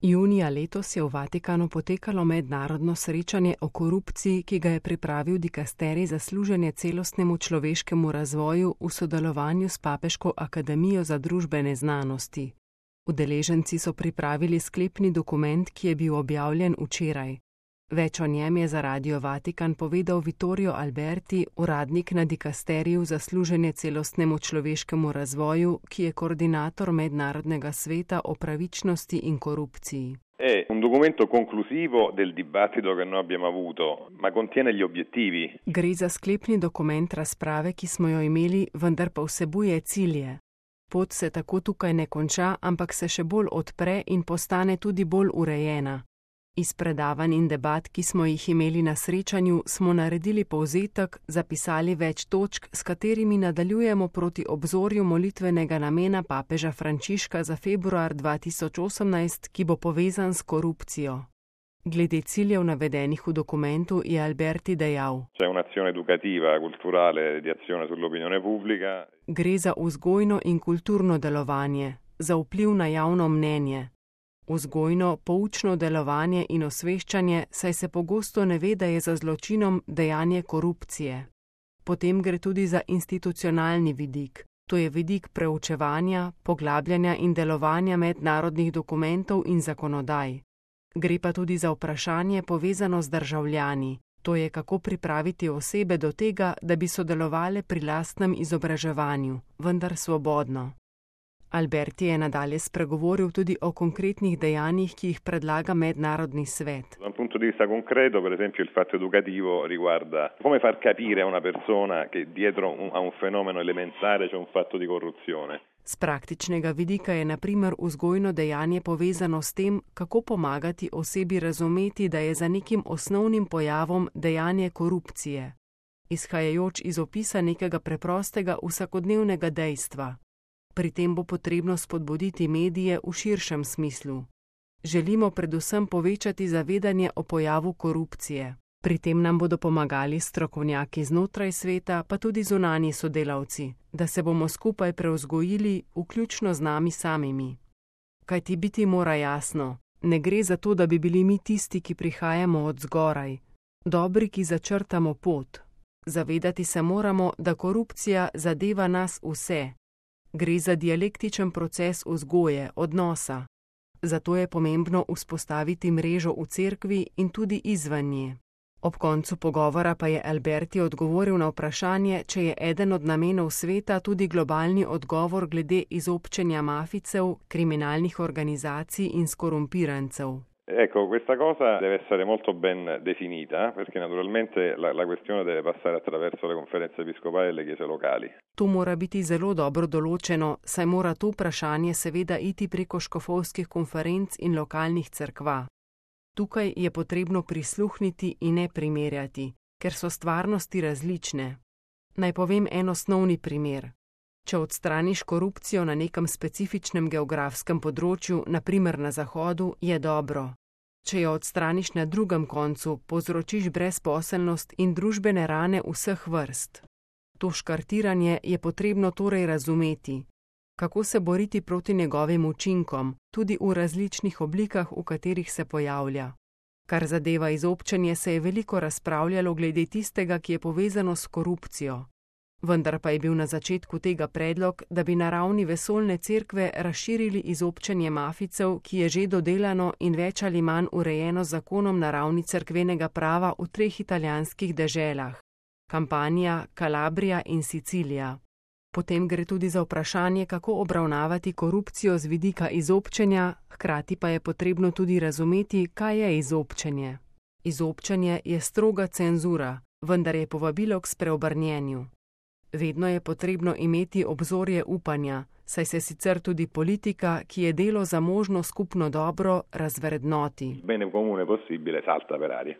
Junija letos je v Vatikanu potekalo mednarodno srečanje o korupciji, ki ga je pripravil dikasterij za služenje celostnemu človeškemu razvoju v sodelovanju s Papeško akademijo za družbene znanosti. Udeleženci so pripravili sklepni dokument, ki je bil objavljen včeraj. Več o njem je za Radio Vatikan povedal Vittorio Alberti, uradnik na dikasteriju za služenje celostnemu človeškemu razvoju, ki je koordinator Mednarodnega sveta o pravičnosti in korupciji. È un documento conclusivo del dibattito che noi abbiamo avuto, ma contiene gli obiettivi. Gre za sklepni dokument razprave, ki smo jo imeli, vendar pa vsebuje cilje. Pot se tako tukaj ne konča, ampak se še bolj odpre in postane tudi bolj urejena. Iz predavanj in debat, ki smo jih imeli na srečanju, smo naredili povzetek, zapisali več točk, s katerimi nadaljujemo proti obzorju molitvenega namena papeža Frančiška za februar 2018, ki bo povezan s korupcijo. Glede ciljev navedenih v dokumentu je Alberti dejal: C'è un'azione educativa, culturale, di azione sull'opinione pubblica. Gre za vzgojno in kulturno delovanje, za vpliv na javno mnenje. Vzgojno, poučno delovanje in osveščanje, saj se pogosto ne ve, da je za zločinom dejanje korupcije. Potem gre tudi za institucionalni vidik. To je vidik preučevanja, poglabljanja in delovanja mednarodnih dokumentov in zakonodaj. Gre pa tudi za vprašanje povezano z državljani. To je, kako pripraviti osebe do tega, da bi sodelovale pri lastnem izobraževanju, vendar svobodno. Alberti je nadalje spregovoril tudi o konkretnih dejanjih, ki jih predlaga Mednarodni svet. Da un punto di vista concreto, per esempio, il fatto educativo riguarda come far capire a una persona che dietro a un fenomeno elementare c'è un fatto di corruzione. Z praktičnega vidika je na primer vzgojno dejanje povezano s tem, kako pomagati osebi razumeti, da je za nekim osnovnim pojavom dejanje korupcije, izhajajoč iz opisa nekega preprostega vsakodnevnega dejstva. Pri tem bo potrebno spodbuditi medije v širšem smislu. Želimo predvsem povečati zavedanje o pojavu korupcije. Pri tem nam bodo pomagali strokovnjaki znotraj sveta, pa tudi zunanji sodelavci, da se bomo skupaj prevzgojili, vključno z nami samimi. Kajti biti mora jasno, ne gre za to, da bi bili mi tisti, ki prihajamo od zgoraj, dobri, ki začrtamo pot. Zavedati se moramo, da korupcija zadeva nas vse. Gre za dialektičen proces vzgoje, odnosa. Zato je pomembno vzpostaviti mrežo v cerkvi in tudi izven nje. Ob koncu pogovora pa je Alberti odgovoril na vprašanje, če je eden od namenov sveta tudi globalni odgovor glede izobčenja mafijcev, kriminalnih organizacij in skorumpirancev. Ecco, questa cosa deve essere molto ben definita, perché naturalmente la questione deve passare attraverso le conferenze episcopali e le chiese locali. To mora biti zelo dobro določeno, saj mora to vprašanje seveda iti preko škofovskih konferenc in lokalnih cerkva. Tukaj je potrebno prisluhniti in ne primerjati, ker so stvarnosti različne. Naj povem en osnovni primer. Če odstraniš korupcijo na nekem specifičnem geografskem področju, na primer na Zahodu, je dobro. Če jo odstraniš na drugem koncu, povzročiš brezposelnost in družbene rane vseh vrst. To škartiranje je potrebno torej razumeti. Kako se boriti proti njegovim učinkom, tudi v različnih oblikah, v katerih se pojavlja. Kar zadeva izobčenje, se je veliko razpravljalo glede tistega, ki je povezano s korupcijo. Vendar pa je bil na začetku tega predlog, da bi na ravni vesoljne cerkve razširili izobčenje mafijcev, ki je že dodelano in več ali manj urejeno z zakonom na ravni cerkvenega prava v 3 italijanskih deželah: Kampanja, Kalabrija in Sicilija. Potem gre tudi za vprašanje, kako obravnavati korupcijo z vidika izobčenja, hkrati pa je potrebno tudi razumeti, kaj je izobčenje. Izobčenje je stroga cenzura, vendar je povabilo k spreobrnjenju. Vedno je potrebno imeti obzorje upanja, saj se sicer tudi politika, ki je delo za možno skupno dobro, razvrednoti. Bene comune possibile salta per aria.